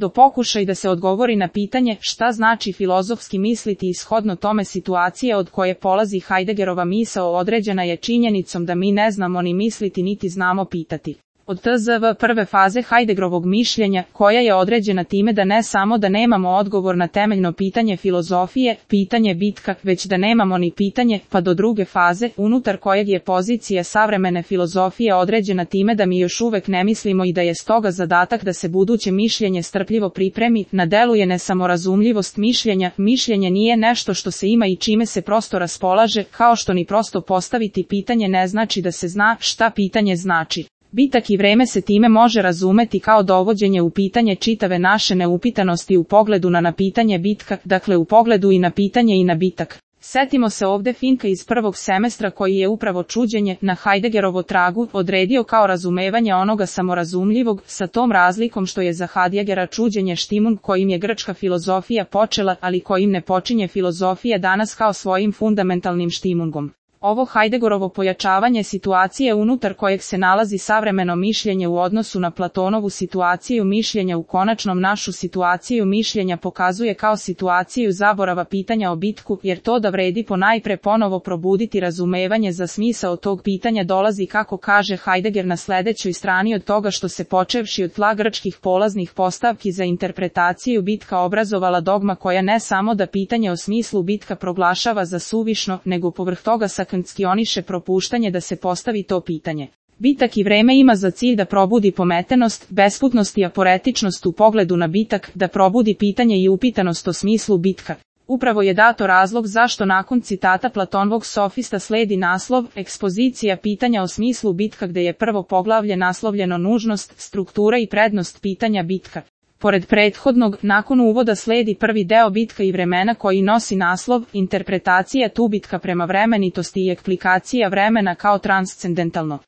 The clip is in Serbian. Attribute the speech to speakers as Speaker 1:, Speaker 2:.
Speaker 1: do pokušaj da se odgovori na pitanje šta znači filozofski misliti i shodno tome situacije od koje polazi Heideggerova misao određena je činjenicom da mi ne znamo ni misliti niti znamo pitati. Od tzv. prve faze Heideggerovog mišljenja, koja je određena time da ne samo da nemamo odgovor na temeljno pitanje filozofije, pitanje bitka, već da nemamo ni pitanje, pa do druge faze, unutar kojeg je pozicija savremene filozofije određena time da mi još uvek ne mislimo i da je stoga zadatak da se buduće mišljenje strpljivo pripremi, na delu je nesamorazumljivost mišljenja. Mišljenje nije nešto što se ima i čime se prosto raspolaže, kao što ni prosto postaviti pitanje ne znači da se zna šta pitanje znači. Bitak i vreme se time može razumeti kao dovođenje u pitanje čitave naše neupitanosti u pogledu na pitanje bitka, dakle u pogledu i na pitanje i na bitak. Setimo se ovde Finka iz prvog semestra koji je upravo čuđenje na Heideggerovo tragu odredio kao razumevanje onoga samorazumljivog, sa tom razlikom što je za Heideggera čuđenje štimun kojim je grčka filozofija počela, ali kojim ne počinje filozofija danas kao svojim fundamentalnim štimungom. Ovo Heideggerovo pojačavanje situacije unutar kojeg se nalazi savremeno mišljenje u odnosu na Platonovu situaciju mišljenja u konačnom našu situaciju mišljenja pokazuje kao situaciju zaborava pitanja o bitku, jer to da vredi ponajpre ponovo probuditi razumevanje za smisao tog pitanja dolazi kako kaže Heidegger na sledećoj strani od toga što se počevši od tla grčkih polaznih postavki za interpretaciju bitka obrazovala dogma koja ne samo da pitanje o smislu bitka proglašava za suvišno, nego povrh toga sankcioniše propuštanje da se postavi to pitanje. Bitak i vreme ima za cilj da probudi pometenost, besputnost i aporetičnost u pogledu na bitak, da probudi pitanje i upitanost o smislu bitka. Upravo je dato razlog zašto nakon citata Platonovog sofista sledi naslov, ekspozicija pitanja o smislu bitka gde je prvo poglavlje naslovljeno nužnost, struktura i prednost pitanja bitka. Pored prethodnog, nakon uvoda sledi prvi deo bitka i vremena koji nosi naslov, interpretacija tu bitka prema vremenitosti i eksplikacija vremena kao transcendentalno.